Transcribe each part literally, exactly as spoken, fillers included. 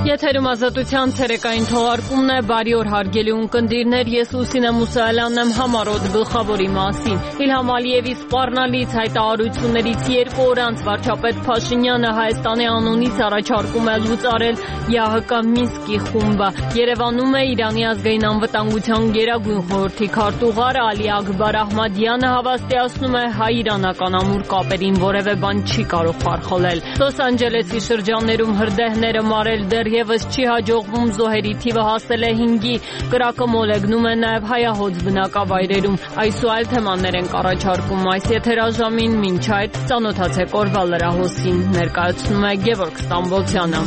Եթերում ազատության ցերեկային թողարկումն է, բարի օր հարգելի ունկնդիրներ, ես Լուսինե Մուսայելյանն եմ, համառոտ գլխավորի մասին։ Իլհամ Ալիևի սպառնալից հայտարարություններից երկու օր անց վարչապետ Փաշինյանը Հայաստանի անունից առաջարկում է լուծարել ԵԱՀԿ Մինսկի խումբը։ Երևանում է Իրանի ազգային անվտանգության գերագույն խորհրդի քարտուղար Ալի Աքբար Ահմադյանը հավաստիացնում է հայ-իրանական ամուր կապերին որևէ բան չի կարող խարխլել։ Լոս Անջելեսի շրջաններում հրդեհները մարել դեռևս չի հաջողվում, զոհերի թիվը հասել է հինգի, կրակը մոլեգնում է նաև հայահոծ բնակավայրերում։ Այս ու այլ թեմաներ ենք առաջարկում այս եթերաժամին, մինչ այդ ծանոթացեք օրվա լրահոսին, ներկայացնում է Գևորգ Ստամբոլցյանը։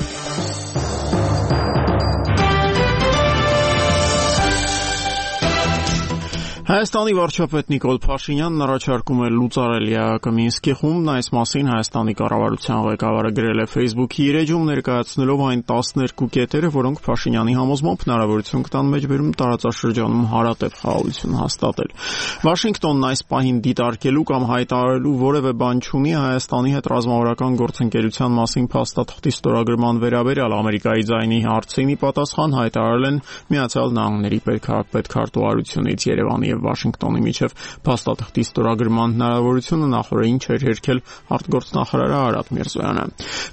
Հայաստանի վարչապետ Նիկոլ Փաշինյանն առաջարկում է լուծարել ԵԱՀԿ Մինսկի խումբն, այս մասին Հայաստանի կառավարության ղեկավարը գրել է Facebook-ի իր էջում, ներկայացնելով այն տասներկու կետերը, որոնք Փաշինյանի համոզմամբ հնարավորություն կտան մեջբերում տարածաշրջանում հարատև խաղաղություն հաստատել։ Վաշինգտոնն այս պահին դիտարկելու կամ հայտարարելու որևէ բան չունի Հայաստանի հետ ռազմավարական գործընկերության մասին փաստաթղթի ստորագրման վերաբերյալ Ամերիկայի ձայնի հարցին ի պատասխան հայտարարել են Միացյալ Նահանգների պետքարտուղարությունից Երևանի Վաշինգտոնի միջև փաստաթղթի ստորագրման հնարավորությունը նախորդին չէր հերքել արտգործնախարարը Արադ Միրզոյանը։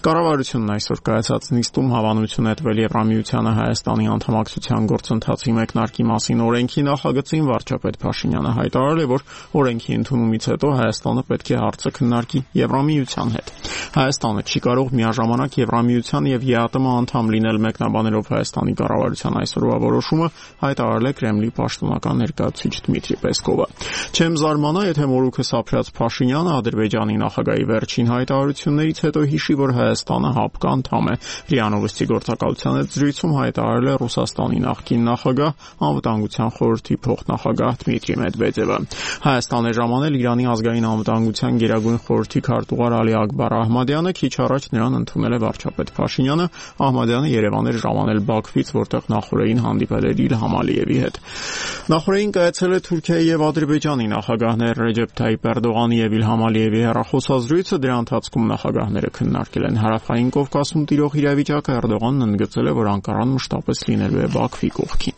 Կառավարությունն այսօր կայացած նիստում հավանություն հետվել Եվրամիությանը Հայաստանի անդամակցության գործընթացի մեկնարկի մասին օրենքի նախագծին վարչապետ Փաշինյանը հայտարարել է, որ օրենքի ընդունումից հետո Հայաստանը պետք է հարցը քննարկի Եվրամիության հետ։ Հայաստանը չի կարող միաժամանակ Եվրամիության եւ ԵԱՏՄ անդամ լինել, մեկնաբանելով Հայաստանի կառավարության այսօրվա որոշումը հայտարարել է Կրեմլի պաշտոնական ներկայացուցիչ Դմիտրի Պեսկովը։ Չեմ զարմանա, եթե մորուքս ապրած Փաշինյանը Ադրբեջանի նախագահի վերջին հայտարարություններից հետո հիշի, որ Հայաստանը ՀԱՊԿ անդամ է։ ՌԻԱ Նովոստի գործակալության հետ զրույցում հայտարարել է Ռուսաստանի նախկին նախագահ, անվտանգության խորհրդի փոխնախագահ Դմիտրի Մեդվեդևը։ Հայաստան է ժամանել Իրանի ազգային անվտանգության գերագույն խորհրդի քարտուղար Ալի Աքբար Ահմադյանը, քիչ առաջ նրան ընդունել է վարչապետ Փաշինյանը։ Ահմադյանը Երևան էր ժամանել Բաքվից, որտեղ նախորդին հանդիպել էր Իլհամ Ալիևի հետ։ Նախորդին կայացել է Թուրքիայի եւ Ադրբեջանի նախագահներ Ռեջեփ Թայիպ Էրդողանի եւ Իլհամ Ալիևի հեռախոսազրույցը, դրա ընթացքում նախագահները քննարկել են Հարավային Կովկասում տիրող իրավիճակը։ Էրդողանն ընդգծել է, որ Անկարան մշտապես լինելու է Բաքվի կողքին։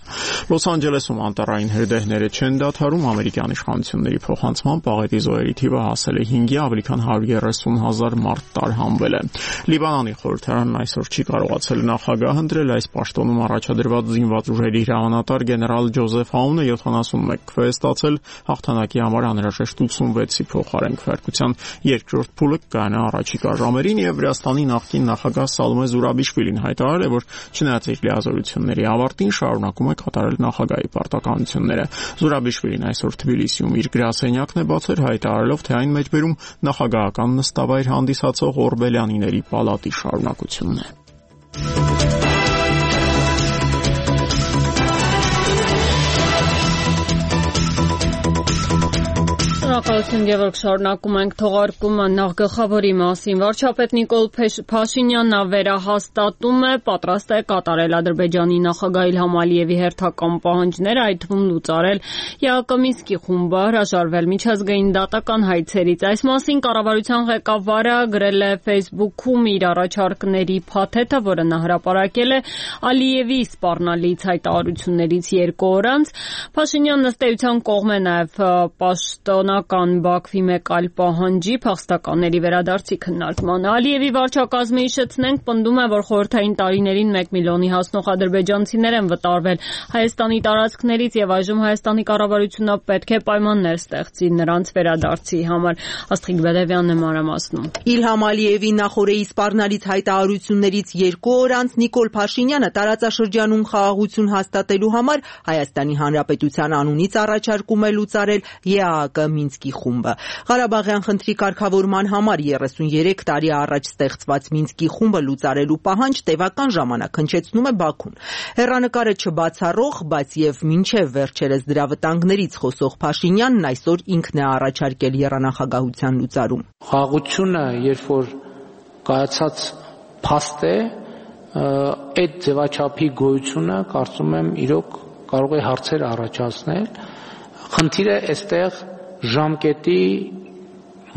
Լոս Անջելեսում անտառային հրդեհները չեն դադարում, ամերիկյան իշխանությունների փոխանցմամբ աղետի զոհերի թիվը հասել է հինգի, ավելի քան հարյուր երեսուն հազար մարդ տարհանվել է։ Լիբանանի խորհրդարանն այսօր չի կարողացել նախագահ ընտրել, այս պաշտոնում առաջադրված զինված ուժերի հրամանատար գեներալ Ջոզեֆ Աունը յոթանասունմեկ քվե է ստացել, հաղթանակի համար անհրաժեշտ ութսունվեցի փոխարեն քվեարկության երկրորդ փուլը կգանա առաջիկա ժամերին, եւ Վրաստանի նախկին նախագահ Սալոմե Զուրաբիշվիլին հայտարարել է, որ չնայած իր լիազորությունների ավարտին շարունակում է կատարել նախագահի պարտականությունները։ Զուրաբիշվիլին այսօր Թբիլիսիում իր գրասենյակն է բացել, հայտարարելով, թե այն մեջբերում նախագահական նստավայր հանդիսացող Օրբելյանիների պալատի շարունակությունն է։ Շնորհակալություն, Գևորգ, շարունակում ենք թողարկումը նախ գլխավորի մասին։ Վարչապետ Նիկոլ Փաշինյանն վերահաստատում է, պատրաստ է կատարել Ադրբեջանի նախագահ Իլհամ Ալիևի հերթական պահանջները, այդ թվում լուծարել ԵԱՀԿ Մինսկի խումբը, հրաժարվել միջազգային դատական հայցերից։ Այս մասին կառավարության ղեկավարը գրել է Facebook-ում իր առաջարկների փաթեթը, որը նա հրապարակել է Ալիևի սպառնալից հայտարարություններից երկու օր անց։ Փաշինյանն ըստ էության կողմ է նաև պաշտոնական Բաքվի մեկ այլ պահանջի, փախստականների վերադարձի քննարկմանը։ Ալիևի վարչակազմը, հիշեցնենք, պնդում է, որ խորհրդային տարիներին մեկ միլիոնի հասնող ադրբեջանցիներ են վտարվել Հայաստանի տարածքներից եւ այժմ Հայաստանի կառավարությունը պետք է պայմաններ ստեղծի նրանց վերադարձի համար։ Աստղիկ Բելևյանն է մանրամասնում։ Իլհամ Ալիևի նախորդի սպառնալից հայտարարություններից երկու օր անց Նիկոլ Փաշինյանը տարածաշրջանում խաղաղություն հաստատելու համար Հայաստանի Հանրապետության անունից առաջարկում է լուծարել ԵԱՀԿ Մինսկի խումբը։ Ղարաբաղյան խնդրի կարգավորման համար երեսունյերեք տարի առաջ ստեղծված Մինսկի խումբը լուծարելու պահանջ տևական ժամանակ հնչեցնում է Բաքուն։ Հեռանկարը չբացառող, բայց եւ մինչեւ վերջերս դրա վտանգներից խոսող Փաշինյանն այսօր ինքն է առաջարկել եռանախագահության լուծարում։ Խաղաղությունը, երբ որ կայացած փաստ է, այդ ձևաչափի գոյությունը կարծում եմ իրոք կարող է հարցեր առաջացնել։ Խնդիրը այստեղ ժամկետի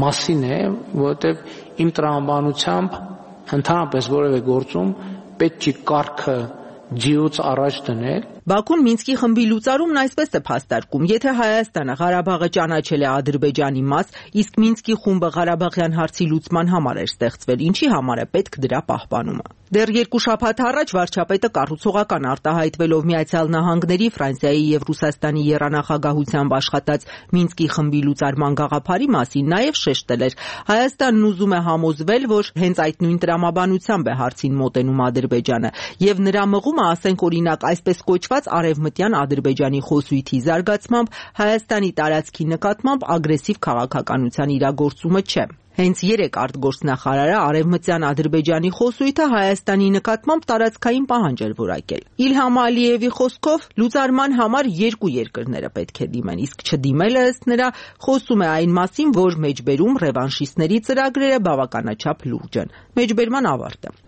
մասին է, որովհետև իմ տրամաբանությամբ ընդհանրապես որևէ գործում պետք չի կարգը ջիուց առաջ դնել։ Բաքուն Մինսկի խմբի լուծարումն այսպես է փաստարկում. եթե Հայաստանը Ղարաբաղը ճանաչել է Ադրբեջանի մաս, իսկ Մինսկի խումբը Ղարաբաղյան հարցի լուծման համար էր ստեղծվել, ինչի համար է պետք դրա պահպանումը։ Դեռ երկու շաբաթ առաջ վարչապետը կառուցողական արտահայտվելով Միացյալ Նահանգների, Ֆրանսիայի եւ Ռուսաստանի եռանախագահությամբ աշխատած Մինսկի խմբի լուծարման գաղափարի մասին նաև շեշտել էր. Հայաստանն ուզում է համոզվել, որ հենց այդ նույն տրամաբանությամբ է հարցին մոտենում Ադրբեջանը, եւ նրա մղումը, ասենք օրինակ, այսպես կոչված արևմտյան Ադրբեջանի խոսույթի զարգացմամբ Հայաստանի տարածքի նկատմամբ ագրեսիվ քաղաքականության իրագործումը չէ։ Հենց երեք արտգործնախարարը արևմտյան Ադրբեջանի խոսույթը Հայաստանի նկատմամբ տարածքային պահանջ էր որակել։ Իլհամ Ալիևի խոսքով լուծարման համար երկու երկրները պետք է դիմեն, իսկ չդիմելը ըստ նրա խոսում է այն մասին, որ մեջբերում ռևանշիստների ծրագրերը բավականաչափ լուրջ են։ Մեջբերման ավարտը։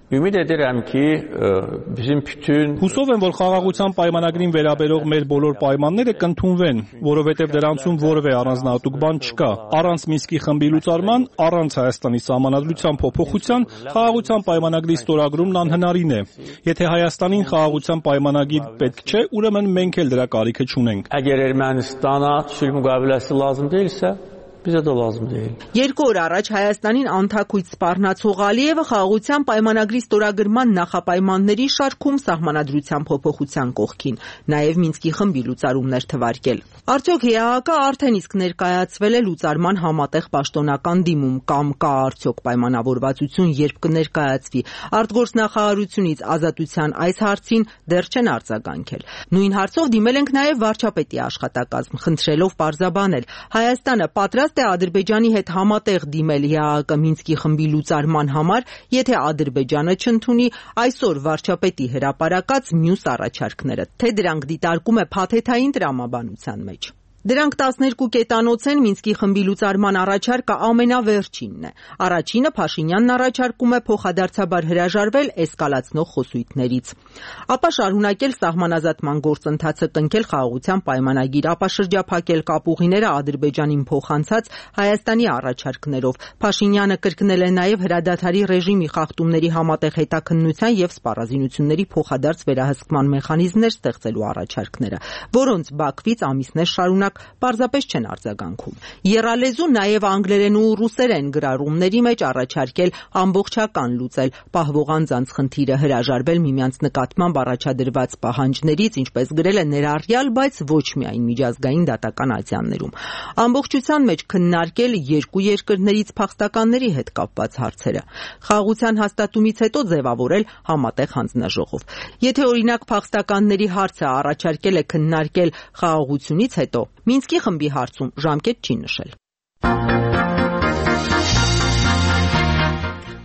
Հուսով եմ, որ խաղաղության պայմանագրին վերաբերող մեր բոլոր պայմանները կընդունվեն, որովհետև դրանցում որևէ առանձնահատուկ բան չկա։ Առանց Մինսկի խմբի լուծարման, առանց Հայաստանի սահմանադրության փոփոխության, խաղաղության պայմանագրի ստորագրումն անհնարին է։ Եթե Հայաստանին խաղաղության պայմանագիր պետք չէ, ուրեմն մենք էլ դրա կարիքը չունենք։ Երկու օր առաջ Հայաստանին անթաքույց սպառնացող Ալիևը խաղաղության պայմանագրի ստորագրման նախապայմանների շարքում սահմանադրության փոփոխության կողքին նաև Մինսկի խմբի լուծարումն էր թվարկել։ Արդյոք ՀԱԿ-ը արդեն իսկ ներկայացվել է լուծարման համատեղ պաշտոնական դիմում կամ կա արդյոք պայմանավորվածություն, երբ կներկայացվի։ Արտգործնախարարությունից ազատության այս հարցին դեռ չեն արձագանքել։ Նույն հարցով դիմել ենք նաև վարչապետի աշխատակազմ, խնդրելով պարզաբանել Հայաստանը պատրաստ է Ադրբեջանի հետ համատեղ դիմել ՀԱԿ Մինսկի խմբի լուծարման համար, եթե Ադրբեջանը չընդունի այսօր վարչապետի հրապարակած մյուս առաջարկները, թե դրանք դիտարկում է փաթեթային տրամաբանության մեջ։ Դրանք տասներկու կետանոց են, Մինսկի խմբի լուծարման առաջարկը ամենավերջինն է։ Առաջինը Փաշինյանն առաջարկում է փոխադարձաբար հրաժարվել էսկալացնող խոսույթներից, ապա շարունակել սահմանազատման գործընթացը, կնքել խաղաղության պայմանագիր, ապա շրջափակել կապուղիները Ադրբեջանին փոխանցած Հայաստանի առաջարկներով։ Փաշինյանը կրկնել է նաև հրադադարի ռեժիմի խախտումների համատեղ հետաքննության եւ սպառազինությունների փոխադարձ վերահսկման մեխանիզմներ ստեղծելու առաջարկները, որոնց Բաքվից ամիսներ շարունակ պարզապես չեն արձագանքում։ Եռալեզու նաև անգլերեն ու ռուսերեն գրառումների մեջ առաջարկել ամբողջական լուծել պահվող անձանց խնդիրը, հրաժարվել միմյանց նկատմամբ առաջադրված պահանջներից, ինչպես գրել է ներառյալ, բայց ոչ միայն միջազգային դատական ատյաններում։ Ամբողջության մեջ քննարկել երկու երկրներից փախստականների հետ կապված հարցերը։ Խաղաղության հաստատումից հետո ձևավորել համատեղ հանձնաժողով։ Եթե օրինակ փախստականների հարցը առաջարկել է քննարկել խաղաղությունից հետո, Մինսկի խմբի հարցում ժամկետ չի նշել։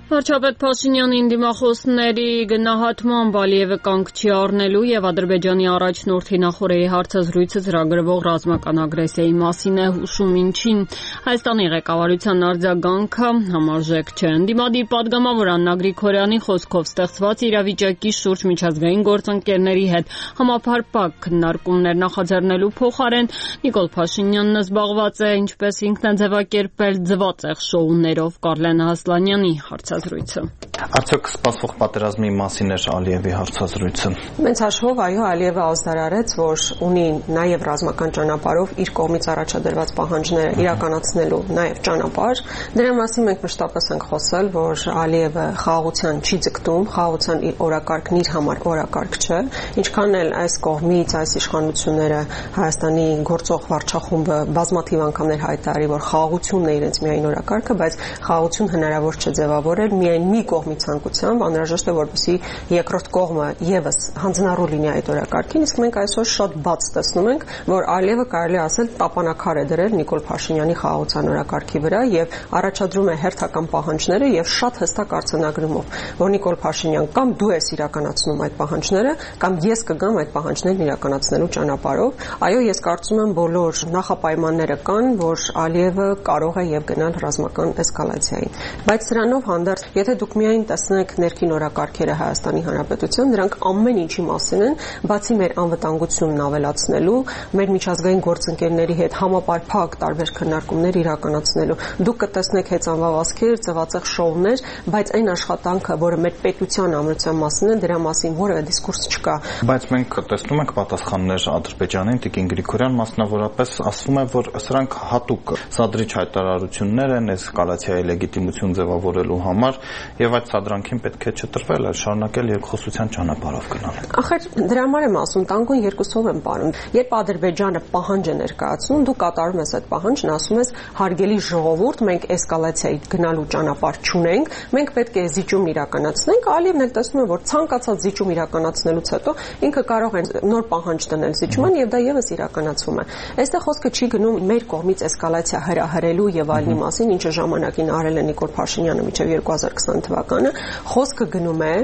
Վարչապետ Փաշինյանին դիմախոսների գնահատմամբ Ալիևը կանգ չի առնելու եւ Ադրբեջանի առաջնորդի նախորդի հարցազրույցը ծրագրվող ռազմական ագրեսիայի մասին է հուշում, ինչին Հայաստանի ղեկավարության արձագանքը համարժեք չէ։ Դիմադի падգամավոր Աննա Գրիգորյանի խոսքով ստեղծված իրավիճակի շուրջ միջազգային գործընկերների հետ համապարփակ քննարկումներ նախաձեռնելու փոխարեն Նիկոլ Փաշինյանն զբաղված է, ինչպես ինքն է ձևակերպել, ձվածեղ շոուներով։ Կարլեն Հասլանյանի հարցազրույցը։ Արդյոք սպասվող պատերազմի մասին էր Ալիևի հարցազրույցը։ Մեծ հաշվով, այո, Ալիևը ազդարարեց, որ ունի նաև ռազմական ճանապարհով իր կողմից առաջադրված պահանջները իրականացնելու նաև ճանապարհ։ Դրա մասին մենք մշտապես ենք խոսել, որ Ալիևը խաղաղության չի ձգտում, խաղաղության իր օրակարգն իր համար օրակարգ չէ, ինչքան էլ այս կողմից այս իշխանությունները Հայաստանի գործող վարչախումբը բազմաթիվ անգամներ հայտարարի, որ խաղաղությունն է իրենց միայն օրակարգը, բայց խաղաղություն հնարավոր չէ ձևավորել միայն մի կողմի ցանկությամբ, անհրաժեշտ է, որպեսզի երկրորդ կողմը եւս հանձնառու լինի այդ օրակարգին, իսկ մենք այսօր շատ բաց տեսնում ենք, որ Ալիևը կարելի ասել տապանակար է դրել Նիկոլ Փաշինյանի խաղաղության օրակարգի վրա եւ առաջադրում է հերթական պահանջները եւ շատ հստակ արձանագրումով, որ Նիկոլ Փաշինյան կամ դու ես իրականացնում այդ պահանջները, կամ ես կգամ այդ պահանջներն իրականացնելու ճանապարհով։ Այո, ես կարծում եմ բոլոր նախապայմանները կան, որ Ալիևը կարող է եւ գնալ ռազմական էսկալացիային, բայց սրանով հանդերձ Եթե դուք միայն տեսնեք ներքին օրակարգերը Հայաստանի Հանրապետության, դրանք ամեն ինչի մասին են, բացի մեր անվտանգությունն ավելացնելու, մեր միջազգային գործընկերների հետ համապարփակ տարբեր քննարկումներ իրականացնելու։ Դուք կտեսնեք հեծանվավազքեր, ծվածեղ շոուներ, բայց այն աշխատանքը, որը մեր պետության ամրության մասին է, դրա մասին որևէ դիսկուրս չկա։ Բայց մենք տեսնում ենք պատասխաններ Ադրբեջանին, Տիկին Գրիգորյան մասնավորապես ասում է, որ սրանք հատուկ սադրիչ հայտարարություններ են էսկալացիայի լեգիտիմություն ձևավորելու համար եւ այդ սադրանքին պետք է չտրվել, այլ շարունակել երկխոսության ճանապարհով գնալ։ Ախր դրա համար եմ ասում, տանկուն երկուսով եմ պարում։ Երբ Ադրբեջանը պահանջ է ներկայացնում, դու կատարում ես այդ պահանջն, ասում ես հարգելի ժողովուրդ, մենք էսկալացիայի գնալու ճանապարհ չունենք, մենք պետք է զիջում իրականացնենք, Ալիևն էլ տեսնում է, որ ցանկացած զիջում իրականացնելուց հետո ինքը կարող է նոր պահանջ դնել զիջման եւ դա եւս իրականացվում է։ Այստեղ խոսքը չի գնում մեր կողմից էսկալացիա հրահրելու եւ այլնի մասին, ինչը ժամանակին արել է Նիկոլ Փաշինյանը մինչեւ երկու հազար քսան թվականը, խոսքը գնում է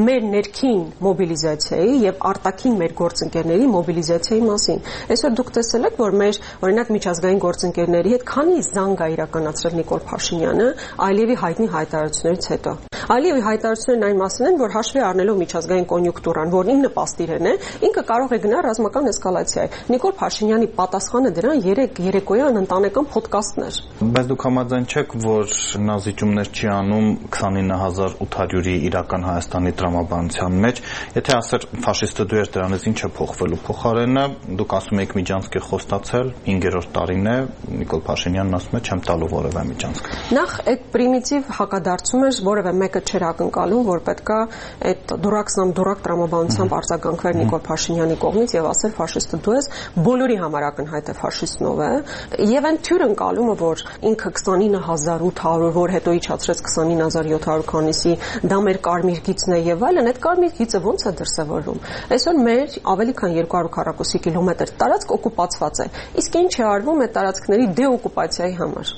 մեր ներքին մոբիլիզացիայի եւ արտաքին մեր գործընկերների մոբիլիզացիայի մասին։ Այսօր դուք տեսել եք, որ մեր օրինակ միջազգային գործընկերների հետ քանի զանգ է իրականացրել Նիկոլ Փաշինյանը Ալիևի հայտնի հայտարարություններից հետո։ Ալիևի հայտարարություններն այն մասին են, որ հաշվի առնելով միջազգային կոնյունկտուրան, որն ինքը նպաստիրեն է, ինքը կարող է գնալ ռազմական էսկալացիայի։ Նիկոլ Փաշինյանի պատասխանը դրան երեք երեկոյան ընտանեկան ոդկասթներ։ Բայց դուք համաձայն չեք, որ նա զիջումներ չի անում քսանինը հազար ութ հարյուրի իրական Հայաստանի տրամաբանության մեջ, եթե ասեր ֆաշիստը դու ես, դրանից ինչ է փոխվելու։ Փոխարենը դուք ասում եք միջանցք է խոստացել, հինգերորդ տարին է, Նիկոլ Փաշինյանն ասում է չեմ տալու որևէ միջանցք։ Նախ այդ պրիմիտիվ հակադարձում էր, որևէ մեկը չէր ակնկալում, որ պետքա այդ դուրակսնամ դուրակ տրամաբանությամբ արձագանքվեր Նիկոլ Փաշինյանի կողմից եւ ասել ֆաշիստը դու ես, բոլորի համար ակնհայտ է ֆաշիստն ով է, եւ այն թյուր ընկալումը, որ ինքը քսանինը հազար ութ հարյուր, որ հետո իջացրեց քսանինը հազար յոթ հարյուր քանիսի, դա մեր կարմիր գիծն է եւ այլն, այդ կարմիր գիծը ո՞նց է դրսեւորվում։ Այսօր մեր ավելի քան երկու հարյուր քառակուսի կիլոմետր տարածք օկուպացված է, իսկ ինչ է արվում այդ տարածքների դեօկուպացիայի համար։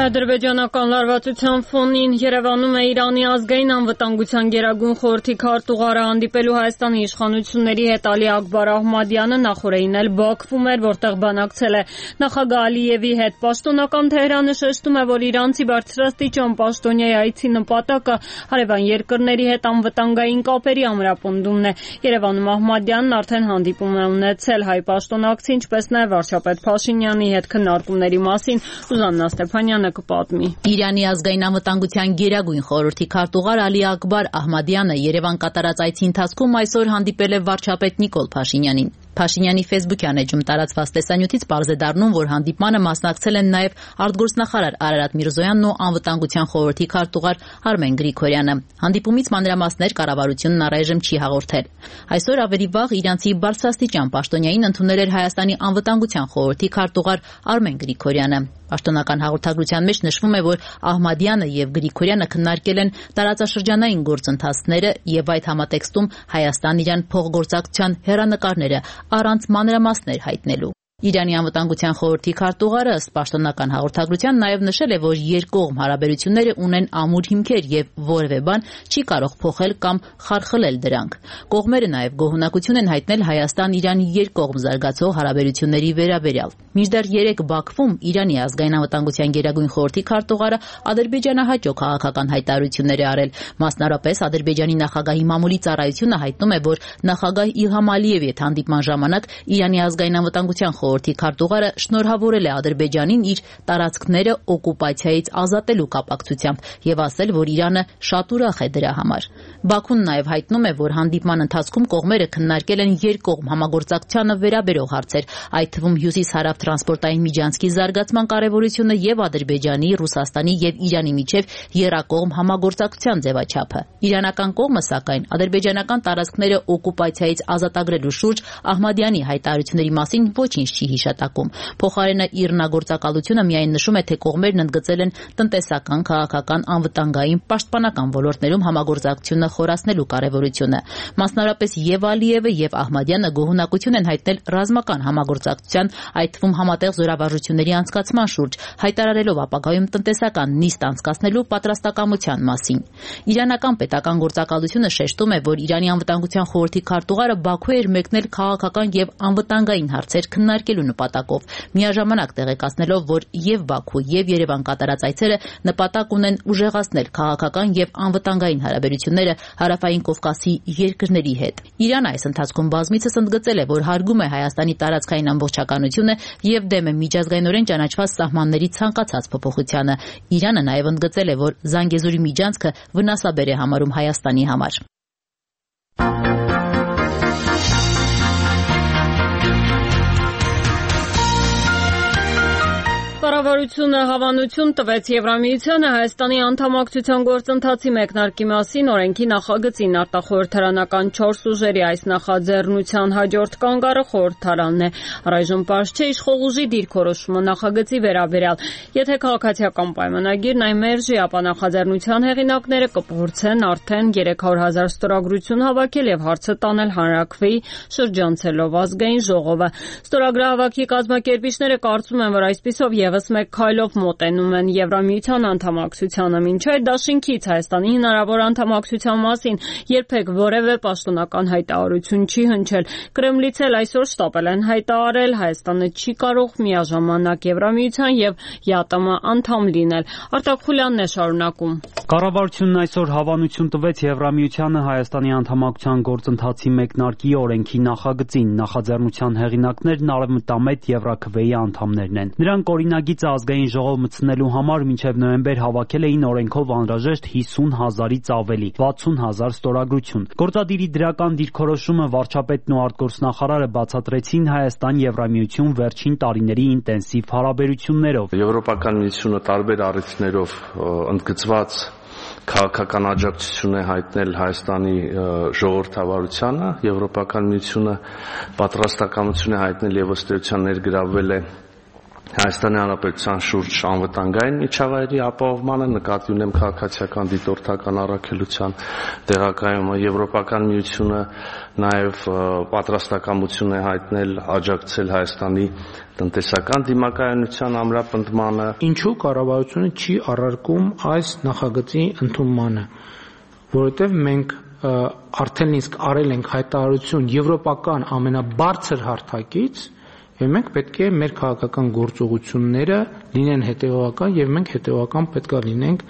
Ադրբեջանական լարվածության ֆոնին Երևանում է Իրանի ազգային անվտանգության գերագույն խորհրդի քարտուղարը հանդիպելու Հայաստանի իշխանությունների հետ Ալի Աքբար Ահմադյանը նախորդին էլ Բաքվում էր, որտեղ բանակցել է նախագահ Ալիևի հետ։ Պաշտոնական Թեհրանը շեշտում է, որ իրանցի բարձրաստիճան պաշտոնյայի այցի նպատակը հարևան երկրների հետ անվտանգային կապերի ամրապնդումն է։ Երևանում Ահմադյանն արդեն հանդիպում է ունեցել հայ պաշտոնակցի, ինչպես նաև վարչապետ Փաշինյանի հետ քննարկումների մասին Սուզաննա Ստեփանյանը կպատմի։ Իրանի ազգային անվտանգության գերագույն խորհրդի քարտուղար Ալի Աքբար Ահմադյանը Երևան կատարած այցի ընթացքում այսօր հանդիպել է վարչապետ Նիկոլ Փաշինյանին։ Փաշինյանի ֆեյսբուքյան էջում տարածված տեսանյութից պարզ է դառնում, որ հանդիպմանը մասնակցել են նաև արտգործնախարար Արարատ Միրզոյանն ու անվտանգության խորհրդի քարտուղար Արմեն Գրիգորյանը։ Հանդիպումից մանրամասներ կառավարությունն առայժմ չի հաղորդել։ Այսօր ավելի վաղ իրանցի բարձրաստիճան պաշտոնյային ընդունել էր Հայաստանի անվտանգության խորհրդի քարտուղար Արմեն Գրիգորյանը։ Պաշտոնական հաղորդագրության մեջ նշվում է, որ Ահմադյանը եւ Գրիգորյանը քննարկել են տարածաշրջանային գործընթացները եւ այդ համատեքստում Հայաստան-Իրան փոխգործակցության հեռանկարները առանց մանրամասներ հայտնելու։ Իրանի անվտանգության խորհրդի քարտուղարը ըստ պաշտոնական հաղորդագրության նաև նշել է, որ երկկողմ հարաբերությունները ունեն ամուր հիմքեր եւ որևէ բան չի կարող փոխել կամ խարխլել դրանք։ Կողմերը նաև գոհունակություն են հայտնել Հայաստան-Իրան երկկողմ զարգացող հարաբերությունների վերաբերյալ։ Մինչդեռ երեք Բաքվում Իրանի ազգային անվտանգության գերագույն խորհրդի քարտուղարը ադրբեջանահաճո քաղաքական հայտարարություններ է արել։ Մասնարարպես Ադրբեջանի նախագահի մամուլի ծառայությունը հայտնում է, որ նախագահ Իլհամ Ալիևի հետ հանդիպման ժամանակ Իրանի ազգային անվտանգության խորհրդի քարտուղարը շնորհավորել է Ադրբեջանին իր տարածքները օկուպացիայից ազատելու կապակցությամբ եւ ասել, որ Իրանը շատ ուրախ է դրա համար։ Բաքուն նաև հայտնում է, որ հանդիպման ընթացքում կողմերը քննարկել են երկկողմ համագործակցությանը վերաբերող հարցեր, այդ թվում հյուսիս-հարավ տրանսպորտային միջանցքի զարգացման կարևորությունը եւ Ադրբեջանի, Ռուսաստանի եւ Իրանի միջև եռակողմ համագործակցության ձևաչափը։ Իրանական կողմը, սակայն, ադրբեջանական տարածքները օկուպացիայից ազատագրելու շուրջ Ահմադյանի հայտարարությունների մասին ոչինչ չի հիշատակում։ Փոխարենը իռնագործակալությունը միայն նշում է, թե կողմերն ընդգծել են տնտեսական, քաղաքական, անվտանգային, պաշտպանական ոլորտներում համագործակցությունը խորացնելու կարևորությունը։ Մասնարարպես եւ Ալիևը եւ Ահմադյանը գոհունակություն են հայտնել ռազմական համագործակցության, այդ թվում համատեղ զորավարժությունների անցկացման շուրջ, հայտարարելով ապագայում տնտեսական նիստ անցկացնելու պատրաստակամության մասին։ Իրանական պետական գործակալությունը շեշտում է, որ Իրանի անվտանգության խորհրդի քարտուղարը Բաքու էր մեկնել քաղաքական եւ անվտանգային հարցեր քննարկել հակակշռարկելու նպատակով, միաժամանակ տեղեկացնելով, որ եւ Բաքու եւ Երևան կատարած այցերը նպատակ ունեն ուժեղացնել քաղաքական եւ անվտանգային հարաբերությունները Հարավային Կովկասի երկրների հետ։ Իրանը այս ընթացքում բազմիցս ընդգծել է, որ հարգում է Հայաստանի տարածքային ամբողջականությունը եւ դեմ է միջազգայինորեն ճանաչված սահմանների ցանկացած փոփոխությանը։ Իրանը նաեւ ընդգծել է, որ Զանգեզուրի միջանցքը վնասաբեր է համարում Հայաստանի համար։ Կառավարությունը հավանություն տվեց Եվրամիությանը Հայաստանի անդամակցության գործընթացի մեկնարկի մասին օրենքի նախագծին արտախորհրդարանական չորս ուժերի այս նախաձեռնության հաջորդ կանգառը խորհրդարանն է։ Առայժմ պարզ չէ իշխող ուժի դիրքորոշումը նախագծի վերաբերյալ։ Եթե քաղաքացիական պայմանագիրն այն մերժի, ապա նախաձեռնության հեղինակները կփորձեն արդեն երեք հարյուր հազար ստորագրություն հավաքել եւ հարցը տանել հանրաքվեի, շրջանցելով ազգային ժողովը։ Ստորագրահավաքի կազմակերպիչները կարծում են, որ այսպիսով եւս մեկ քայլով մոտենում են Եվրամիության անդամակցությանը։ Մինչ այդ դաշինքից Հայաստանի հնարավոր անդամակցության մասին երբեք որևէ պաշտոնական հայտարարություն չի հնչել։ Կրեմլից էլ այսօր շտապել են հայտարարել Հայաստանը չի կարող միաժամանակ Եվրամիության եւ ԵԱՏՄ անդամ լինել։ Արտակ Խուլյանն է շարունակում։ Կառավարությունն այսօր հավանություն տվեց Եվրամիությանը Հայաստանի անդամակցության գործընթացի մեկնարկի օրենքի նախագծին։ Նախաձեռնության հեղինակներն Արևմտամետ Եվրաքվեի անդամներն են։ Նրանք օրինագիծը ազգային ժողով մտցնելու համար մինչև նոյեմբեր հավաքել էին օրենքով անհրաժեշտ հիսուն հազարից ավելի, վաթսուն հազար ստորագրություն։ Գործադիրի դրական դիրքորոշումը վարչապետն ու արտգործնախարարը բացատրեցին Հայաստան-Եվրամիություն վերջին տարիների ինտենսիվ հարաբերություններով։ Եվրոպական միությունը տարբեր առիթներով ընդգծված քաղաքական աջակցություն է հայտնել Հայաստանի ժողովրդավարությանը, Եվրոպական միությունը պատրաստակամություն է հայտնել եւ ըստ էության ներգրավվել է Հայաստանի Հանրապետության շուրջ անվտանգային միջավայրի ապահովմանը, նկատի ունեմ քաղաքացիական դիտորդական առաքելության տեղակայումը։ Եվրոպական միությունը նաև պատրաստակամություն է հայտնել աջակցել Հայաստանի տնտեսական դիմակայունության ամրապնդմանը։ Ինչու կառավարությունը չի առարկում այս նախագծի ընդունմանը, որովհետև մենք արդեն իսկ արել ենք հայտարարություն եվրոպական ամենաբարձր հարթակից, եւ մենք պետք է մեր քաղաքական գործողությունները լինեն հետեւական եւ մենք հետեւական պետք է լինենք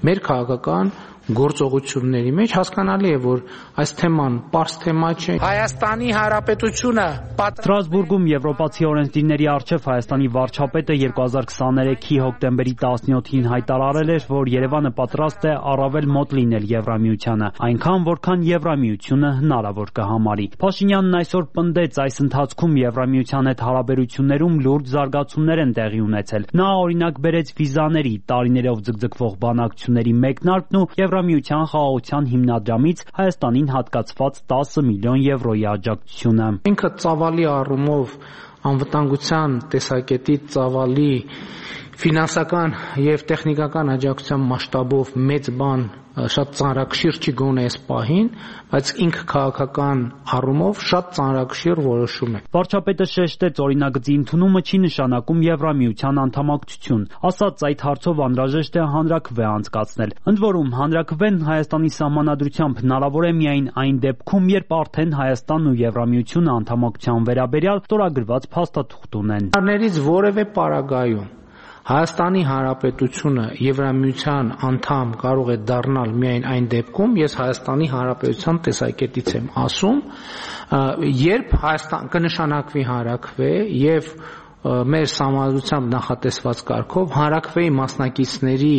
մեր քաղաքական գործողությունների մեջ։ Հասկանալի է, որ այս թեման պարզ թեմա չէ։ Հայաստանի Հանրապետությունը Ստրասբուրգում եվրոպացի օրենսդիրների առջև Հայաստանի վարչապետը երկու հազար քսաներեքի հոկտեմբերի տասնյոթին հայտարարել էր, որ Երևանը պատրաստ է առավել մոտ լինել Եվրամիությանը, այնքան որքան Եվրամիությունը հնարավոր կհամարի։ Փաշինյանն այսօր պնդեց, այս ընթացքում Եվրամիության հետ հարաբերություններում լուրջ զարգացումներ են տեղի ունեցել։ Նա օրինակ բերեց վիզաների, տարիներով ձգձգվող բանակցությունների մեկնարկն ու Եվրամիության խաղաղության հիմնադրամից Հայաստանին հատկացված տասը միլիոն եվրոյի աջակցությունը։ Ինքը ծավալի առումով անվտանգության տեսակետից ծավալի ֆինանսական եւ տեխնիկական աջակցության մասշտաբով մեծ բան շատ ծանրակշիռ չի գոնե այս պահին, բայց ինքը քաղաքական առումով շատ ծանրակշիռ որոշում է։ Վարչապետը շեշտեց, օրինագծի ընդունումը չի նշանակում Եվրամիության անդամակցություն, ասաց այդ հարցով անհրաժեշտ է հանրաքվե անցկացնել։ Ընդ որում, հանրաքվեն Հայաստանի սահմանադրությամբ հնարավոր է միայն այն դեպքում, երբ արդեն Հայաստանն ու Եվրամիությունը անդամակցության վերաբերյալ ստորագրված փաստաթուղթ ունեն։ Ներից որևէ պարագայում Հայաստանի Հանրապետությունը Եվրամիության անդամ կարող է դառնալ միայն այն դեպքում, ես Հայաստանի Հանրապետության տեսակետից եմ ասում, երբ Հայաստան կնշանակվի հանրաքվե եւ մեր սահմանադրությամբ նախատեսված կարգով հանրաքվեի մասնակիցների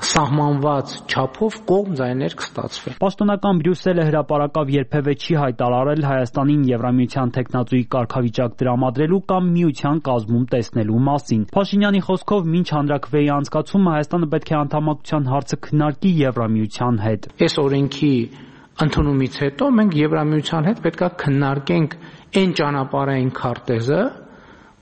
սահմանված չափով կողմ ձայներ կստացվի։ Պաշտոնական Բրյուսելը հրապարակավ երբևէ չի հայտարարել Հայաստանին Եվրամիության տեխնատուի կարգավիճակ տրամադրելու կամ միության կազմում տեսնելու մասին։ Փաշինյանի խոսքով մինչ հանրաքվեի անցկացումը Հայաստանը պետք է անդամակցության հարցը քննարկի Եվրամիության հետ։ Այս օրենքի ընդունումից հետո մենք Եվրամիության հետ պետք է քննարկենք այն ճանապարհային քարտեզը,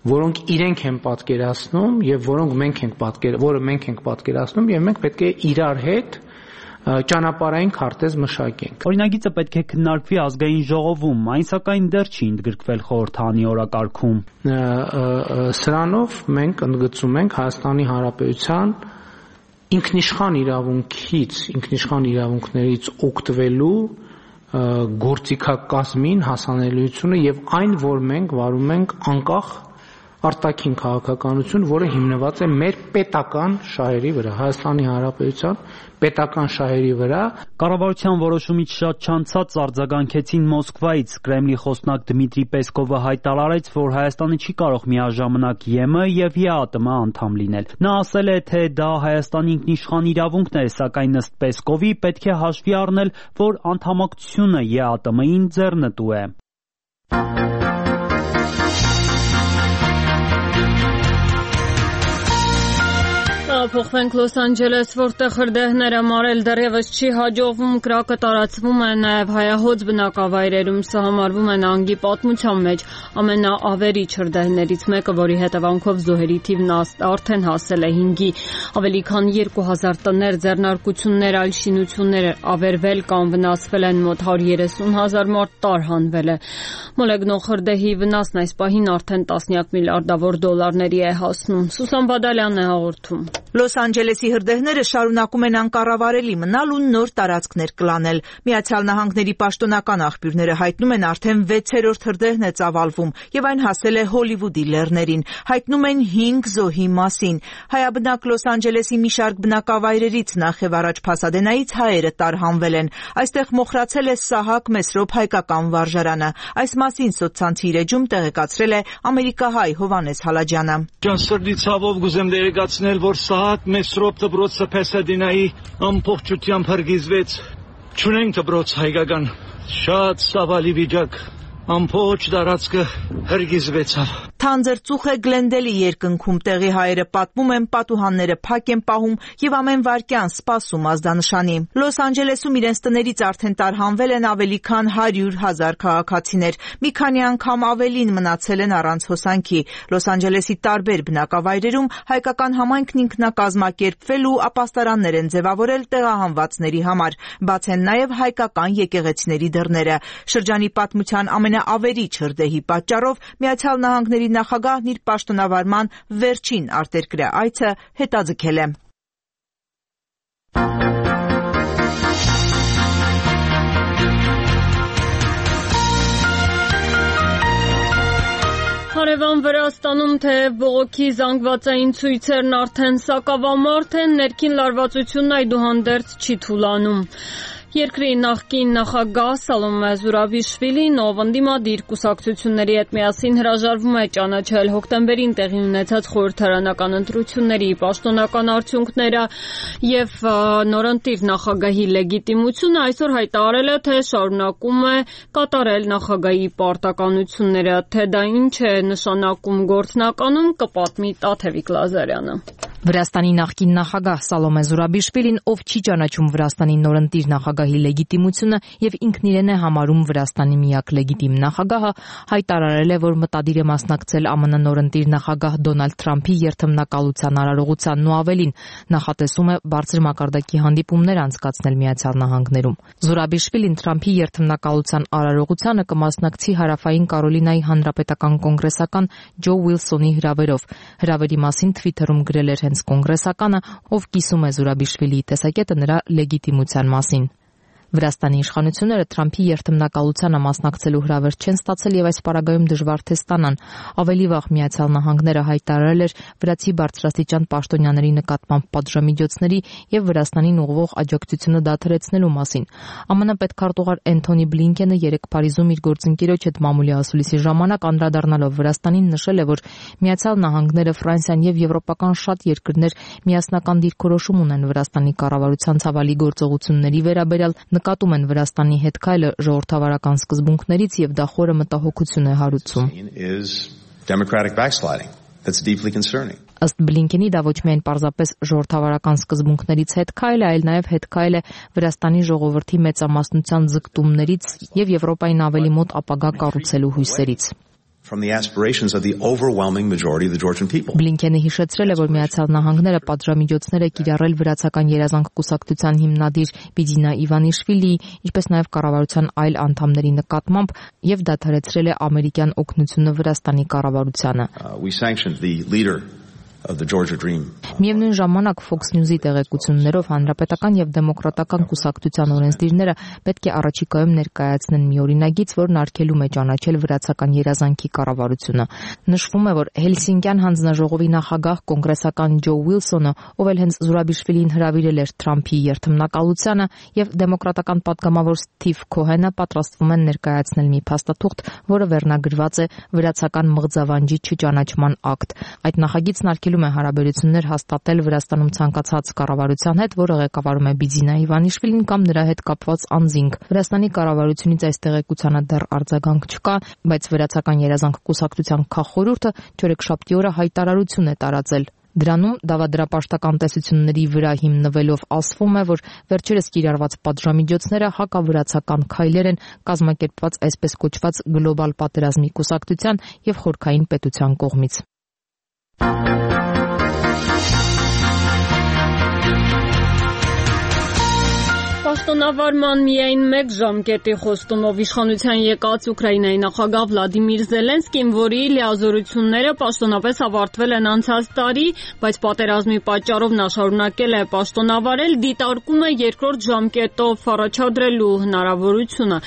որոնք իրենք են պատկերացնում եւ որոնք մենք ենք պատկեր, որը մենք ենք պատկերացնում եւ մենք պետք է իրար հետ ճանապարհային քարտեզ մշակենք։ Օրինագիծը պետք է քննարկվի ազգային ժողովում, այն սակայն դեռ չի ընդգրկվել խորհրդանի օրակարգում։ Սրանով մենք ընդգծում ենք Հայաստանի Հանրապետության ինքնիշխան իրավունքից, ինքնիշխան իրավունքներից օգտվելու գործիքակազմին հասանելիությունը եւ այն, որ մենք վարում ենք անկախ արտաքին քաղաքականություն, որը հիմնված է մեր պետական շահերի վրա, Հայաստանի Հանրապետության պետական շահերի վրա։ Կառավարության որոշումից շատ չանցած արձագանքեցին Մոսկվայից։ Կրեմլի խոսնակ Դմիտրի Պեսկովը հայտարարեց, որ Հայաստանը չի կարող միաժամանակ ԵՄ եւ ԵԱՏՄ անդամ լինել։ Նա ասել է, թե դա Հայաստանի ինքնիշխան իրավունքն է, սակայն ըստ Պեսկովի պետք է հաշվի առնել, որ անդամակցությունը ԵԱՏՄ-ին ձեռնտու է։ Փոխվենք Լոս Անջելես, որտեղ հրդեհները մարել դեռևս չի հաջողվում, կրակը տարածվում է նաև հայահոծ բնակավայրերում, սա համարվում է նահանգի պատմության մեջ ամենաավերիչ հրդեհներից մեկը, որի հետևանքով զոհերի թիվն արդեն հասել է հինգի, ավելի քան երկու հազար տներ, ձեռնարկություններ, այլ շինություններ ավերվել կամ վնասվել են, մոտ հարյուր երեսուն հազար մարդ տարհանվել է։ Մոլեգնող հրդեհի վնասն այս պահին արդեն տասնյակ միլիարդավոր դոլարների է հասնում։ Սուսան Բադալյանն է հաղորդում։ Լոս Անջելեսի հրդեհները շարունակում են անկառավարելի մնալ ու նոր տարածքներ կլանել։ Միացյալ Նահանգների պաշտոնական աղբյուրները հայտնում են արդեն վեցերորդ հրդեհն է ծավալվում եւ այն հասել է Հոլիվուդի լեռներին։ Հայտնում են հինգ զոհի մասին։ Հայաբնակ Լոս Անջելեսի մի շարք բնակավայրերից նախ եւ առաջ Փասադենայից հայերը տարհանվել են։ Այստեղ մոխրացել է Սահակ Մեսրոպ հայկական վարժարանը։ Այս մասին սոցցանցի իր էջում տեղեկացրել է ամերիկահայ Հովանես Հալաջյանը։ Ջանսրդի ցավով գուզեմ տեղեկացնել, որ Սահակ Մեսրոպ դպրոցը Փասադենայի ամբողջությամբ հրգիզվեց։ Չունենք դպրոց հայկական, շատ ցավալի վիճակ, ամբողջ տարածքը հրգիզվեցավ։ Թանձր ծուխ է Գլենդելի երկնքում, տեղի հայերը պատմում են, պատուհանները փակ են պահում եւ ամեն վայրկյան սպասում ազդանշանի։ Լոս Անջելեսում իրենց տներից արդեն տարհանվել են ավելի քան հարյուր հազար քաղաքացիներ, մի քանի անգամ ավելին մնացել են առանց հոսանքի։ Լոս Անջելեսի տարբեր բնակավայրերում հայկական համայնքն ինքնակազմակերպվել ու ապաստարաններ են ձևավորել տեղահանվածների համար, բաց են նաեւ հայկական եկեղեցիների դռները։ Շրջանի պատմության ամենաավերիչ հրդեհի պատճառով Միացյալ Նահանգների նախագահն իր պաշտոնավարման վերջին արտերկրյա այցը հետաձգել է։ Հարևան Վրաստանում թեև բողոքի զանգվածային ցույցերն արդեն սակավամարդ են, ներքին լարվածությունն այդուհանդերձ չի թուլանում։ Երկրի նախկին նախագահ Սալոմե Զուրաբիշվիլին, ով ընդդիմադիր կուսակցությունների հետ միասին հրաժարվում է ճանաչել հոկտեմբերին տեղի ունեցած խորհրդարանական ընտրությունների պաշտոնական արդյունքները եւ նորընտիր նախագահի լեգիտիմությունը, այսօր հայտարարել է, թե շարունակում է կատարել նախագահի պարտականությունները, թե դա ինչ է նշանակում գործնականում, կպատմի Տաթևիկ Լազարյանը։ Վրաստանի նախկին նախագահ Սալոմե Զուրաբիշվիլին, ով չի ճանաչում Վրաստանի նորընտիր նախագահի լեգիտիմությունը եւ ինքն իրեն է համարում Վրաստանի միակ լեգիտիմ նախագահը, հայտարարել է, որ մտադիր է մասնակցել ԱՄՆ նորընտիր նախագահ Դոնալդ Թրամփի երթմնակալության արարողությանն ու ավելին, նախատեսում է բարձր մակարդակի հանդիպումներ անցկացնել Միացյալ Նահանգներում։ Զուրաբիշվիլին Թրամփի երթմնակալության արարողությանը կմասնակցի Հարավային Կարոլինայի հանրապետական կոնգրեսական Ջո Ուիլսոնի հրավերով։ Հրավերի մասին Թվիթերում գրել էր կոնգրեսականը, ով կիսում է Զուրաբիշվիլիի տեսակետը նրա լեգիտիմության մասին։ Վրաստանի իշխանությունները Թրամփի երթմնակալությանը մասնակցելու հրավեր չեն ստացել եւ այս պարագայում դժվար թե ստանան։ Ավելի վաղ Միացյալ Նահանգները հայտարարել էր վրացի բարձրաստիճան պաշտոնյաների նկատմամբ պատժամիջոցների եւ Վրաստանին ուղղվող աջակցությունը դադարեցնելու մասին։ ԱՄՆ պետքարտուղար Էնթոնի Բլինքենը երեկ Փարիզում իր գործընկերոջ հետ մամուլի ասուլիսի ժամանակ անդրադառնալով Վրաստանին նշել է, որ Միացյալ Նահանգները, Ֆրանսիան եւ եվրոպական շատ երկրներ միասնական դիրքորոշում ունեն Վրաստանի կառավարության ցավալի գործողությունների վերաբերյալ, նկատում են Վրաստանի հետ քայլը ժողովրդավարական սկզբունքներից եւ դա խորը մտահոգություն է հարուցում։ Ըստ Բլինքենի դա ոչ միայն պարզապես ժողովրդավարական սկզբունքներից հետ քայլ է, այլ նաեւ հետ քայլ է Վրաստանի ժողովրդի մեծամասնության ձգտումներից եւ Եվրոպային ավելի մոտ ապագա կառուցելու հույսերից։ From the aspirations of the overwhelming majority of the Georgian people. Բլինքենը հիշեցրել է, որ Միացյալ Նահանգները պատժամիջոցներ է կիրառել Վրացական երազանք կուսակցության հիմնադիր Բիդինա Իվանիշվիլիի, ինչպես նաև կառավարության այլ անդամների նկատմամբ եւ դադարեցրել է ամերիկյան օգնությունը Վրաստանի կառավարությանը։ Uh, we sanctioned the leader of the Georgia Dream. Միևնույն ժամանակ Fox News-ի տեղեկություններով հանրապետական եւ դեմոկրատական կուսակցության օրենսդիրները պետք է առաջիկայում ներկայացնեն մի օրինագիծ, որն արգելում է ճանաչել վրացական երազանքի կառավարությունը։ Նշվում է, որ Հելսինկյան հանձնաժողովի նախագահ կոնգրեսական Ջո Ուիլսոնը, ով էլ հենց Զուրաբիշվիլին հրավիրել էր Թրամփի երթմնակալությանը, եւ դեմոկրատական պատգամավոր Սթիվ Քոհենը պատրաստվում են ներկայացնել մի փաստաթուղթ, որը վերնագրված է վրացական մղձավանջի չճանաչման ակտ։ Այդ նախագիծն արգելում է հարաբերություններ հաստատել Վրաստանում ցանկացած կառավարության հետ, որը ղեկավարում է Բիձինա Իվանիշվիլին կամ նրա հետ կապված անձինք։ Վրաստանի կառավարությունից այս տեղեկությանը դեռ արձագանք չկա, բայց Վրացական երազանք կուսակցության քաղխորհուրդը չորեքշաբթի օրը հայտարարություն է տարածել։ Դրանում դավադրապաշտական տեսությունների վրա հիմնվելով ասվում է, որ վերջերս կիրառված պատժամիջոցները հակավրացական քայլեր են կազմակերպված այսպես կոչված գլոբալ պատերազմի կուսակցության եւ խորքային պետության կողմից։ Պաշտոնավարման միայն մեկ ժամկետի խոստումով իշխանության եկած Ուկրաինայի նախագահ Վլադիմիր Զելենսկին, որի լիազորությունները պաշտոնապես ավարտվել են անցած տարի, բայց պատերազմի պատճառով նա շարունակել է պաշտոնավարել, դիտարկում է երկրորդ ժամկետով առաջադրելու հնարավորությունը։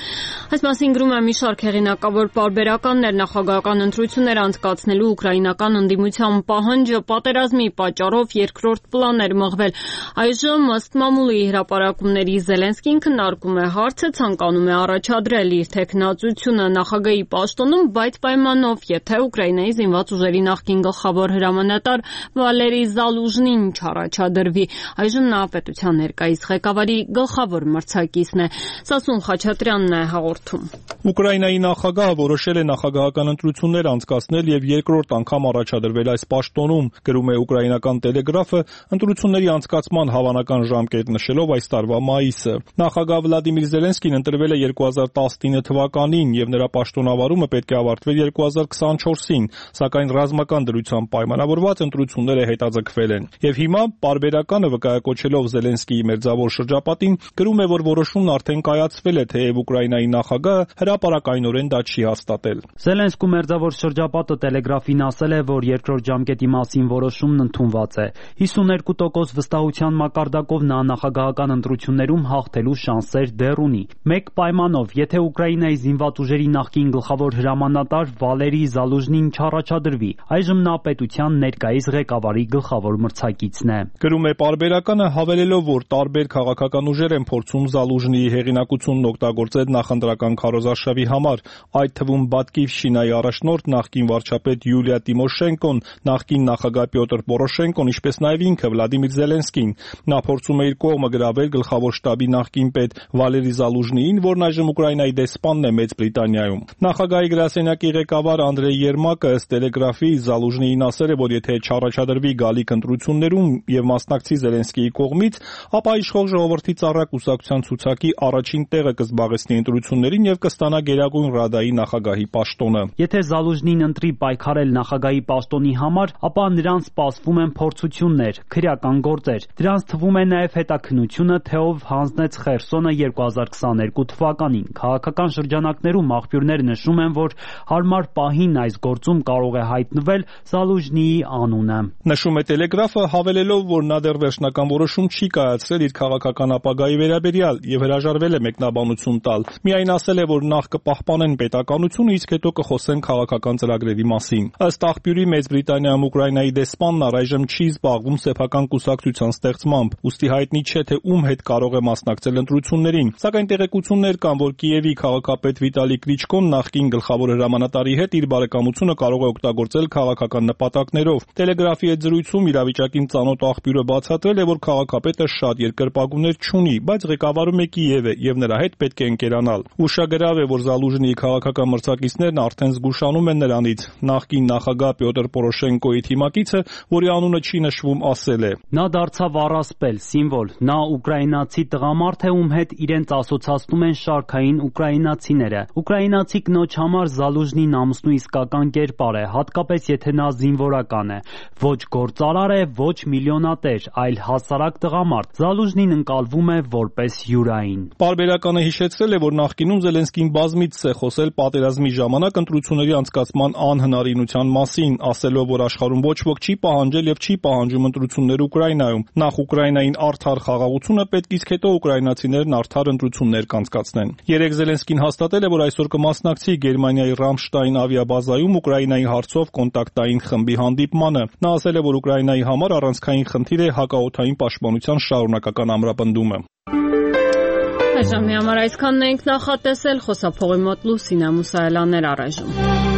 Այս մասին գրում է մի շարք հեղինակավոր պարբերականներ, նախագահական ընտրություններ անցկացնելու ուկրաինական ընդդիմության պահանջը պատերազմի պատճառով երկրորդ պլան էր մղվել։ Այժմ ըստ մամուլի հրապարակումների Զելենսկին քննարկում է հարցը, ցանկանում է առաջադրել իր թեկնածությունը նախագահի պաշտոնում, բայց պայմանով, եթե Ուկրաինայի զինված ուժերի նախկին գլխավոր հրամանատար Վալերի Զալուժնին չառաջադրվի։ Այժմ նա պետության ներկայիս ղեկավարի գլխավոր մրցակիցն է։ Սասուն Խաչատրյանն է հաղորդում։ Ուկրաինայի նախագահը որոշել է նախագահական ընտրություններ անցկացնել եւ երկրորդ անգամ առաջադրվել այս պաշտոնում, գրում է ուկրաինական տելեգրաֆը, ընտրությունների անցկացման հավանական ժամկետ նշելով այս տարվա մայիսը։ Նախագահ Վլադիմիր Զելենսկին ընտրվել է երկու հազար տասնինը թվականին եւ նրա պաշտոնավարումը պետք է ավարտվեր երկու հազար քսանչորսին, սակայն ռազմական դրությամբ պայմանավորված ընտրությունները հետաձգվել են։ Եվ հիմա պարբերականը վկայակոչելով Զելենսկիի մերձավոր շրջապատին գրում է, որ որոշումն արդեն կայացվել է, թեև Ուկրաինայի նախագահը հրապարակայնորեն դա չի հաստատել։ Զելենսկու մերձավոր շրջապատը տելեգրաֆին ասել է, որ երկրորդ ժամկետի մասին որոշումն ընդունված է։ հիսուներկու տոկոս վստահության մակարդակով նա նախագահական ընտրություններում հաղթելու շանսեր դեռ ունի։ Մեկ պայմանով, եթե Ուկրաինայի զինված ուժերի նախկին գլխավոր հրամանատար Վալերի Զալուժնին չառաջադրվի, այժմ նա պետության ներկայիս ղեկավարի գլխավոր մրցակիցն է։ Գրում է պարբերականը, հավելելով, որ տարբեր քաղաքական ուժեր են փորձում Զալուժնիի հեղինակությունն օգտագործել նախընտրական քարոզարշավի համար, այդ թվում Բատկիվշինայի առաջնորդ նախկին վարչապետ Յուլիա Տիմոշենկոն, նախկին նախագահ Պյոտր Պորոշենկոն, ինչպես նաև ինքը Վլադիմիր Զելենսկին։ Նա փորձում է իր կողմը գրավել գլխավոր շտաբի նախկին պետ Վալերի Զալուժնիին, որն այժմ Ուկրաինայի դեսպանն է Մեծ Բրիտանիայում։ Նախագահի գրասենյակի ղեկավար Անդրեյ Երմակը ըստ տելեգրաֆի Զալուժնիին ասել է, որ եթե չառաջադրվի գալիք ընտրություններում եւ մասնակցի Զելենսկիի կողմից, ապա իշխող ժողովրդի ծառա կուսակցության ցուցակի առաջին տեղը կզբաղեցնի ընտրություններին եւ կստանա Գերագույն Ռադայի նախագահի պաշտոնը։ Եթե Զալուժնին ընտրի պայքարել նախագահի պաշտոնի համար, ապա նրան սպասվում են փորձություններ, քրեական գործեր։ Դրանց թվում է նաեւ հետաքննությունը, թե ով հանձնեց Խերսոնը երկու հազար քսաներկու թվականին։ Քաղաքական շրջանակներում աղբյուրներ նշում են, որ հարմար պահին այս գործում կարող է հայտնվել Զալուժնիի անունը։ Նշում է տելեգրաֆը, հավելելով, որ նա դեռ վերջնական որոշում չի կայացրել իր քաղաքական ապագայի վերաբերյալ եւ հրաժարվել է մեկնաբանություն տալ։ Միայն ասել է, որ նախ կպահպանեն պետականությունը, իսկ հետո կխոսեն քաղաքական ծրագրերի մասին։ Ըստ աղբյուրի Մեծ Բրիտանիայում Ուկրաինայի դեսպանն առայժմ չի զբաղվում սեփական կուսակցության ստեղծմամբ, ուստի հայտնի չէ, թե ում հետ կարող է մասնակցել ընտրություններին։ Սակայն տեղեկություններ կան, որ Կիևի քաղաքապետ Վիտալի Կլիչկոն նախկին գլխավոր հրամանատարի հետ իր բարեկամությունը կարող է օգտագործել քաղաքական նպատակներով։ Տելեգրաֆի հետ զրույցում իրավիճակին ծանոթ աղբյուրը բացատրել է, որ քաղաքապետը շատ երկրպագուներ չունի, բայց ղեկավարում է Կիևը եւ նրա հետ պետք է ընկերանալ։ Ուշագրավ է, որ Զալուժնիի քաղաքական մրցակիցներն արդեն զգուշանում են նրանից։ Նախկին նախագահ Պյոտր Պորոշենկոյի թիմակիցը, որի անունը չի նշվում, ասել է. Նա դարձավ առասպել, սիմվոլ, նա ուկրաինացի տղամարդ մարդ է, ում հետ իրենց ասոցացնում են շարքային ուկրաինացիները։ Ուկրաինացի կնոջ համար Զալուժնին ամուսնու իսկական կերպար է, հատկապես եթե նա զինվորական է։ Ոչ գործարար է, ոչ միլիոնատեր, այլ հասարակ տղամարդ։ Զալուժնին ընկալվում է որպես յուրային։ Պարբերականը հիշեցրել է, որ նախկինում Զելենսկին բազմիցս է խոսել պատերազմի ժամանակ ընտրությունների անցկացման անհնարինության մասին, ասելով, որ աշխարհում ոչ ոք չի պահանջել եւ չի պահանջում ընտրություններ Ուկրաինայում։ Նախ Ուկրաինային արդար խաղաղությունը պետք, իսկ հետո ուկրաինացիներն արդար ընտրություններ կանցկացնեն։ Երեկ Զելենսկին հաստատել է, որ այսօր կմասնակցի Գերմանիայի Ռամշտայն ավիաբազայում Ուկրաինայի հարցով կոնտակտային խմբի հանդիպմանը։ Նա ասել է, որ Ուկրաինայի համար առանցքային խնդիր է հակաօդային պաշտպանության շարունակական ամրապնդումը։ Այժմ մի համար այսքանն ենք նախատեսել, խոսափողի մոտ Լուսինա Մուսայելյաններ առայժմ։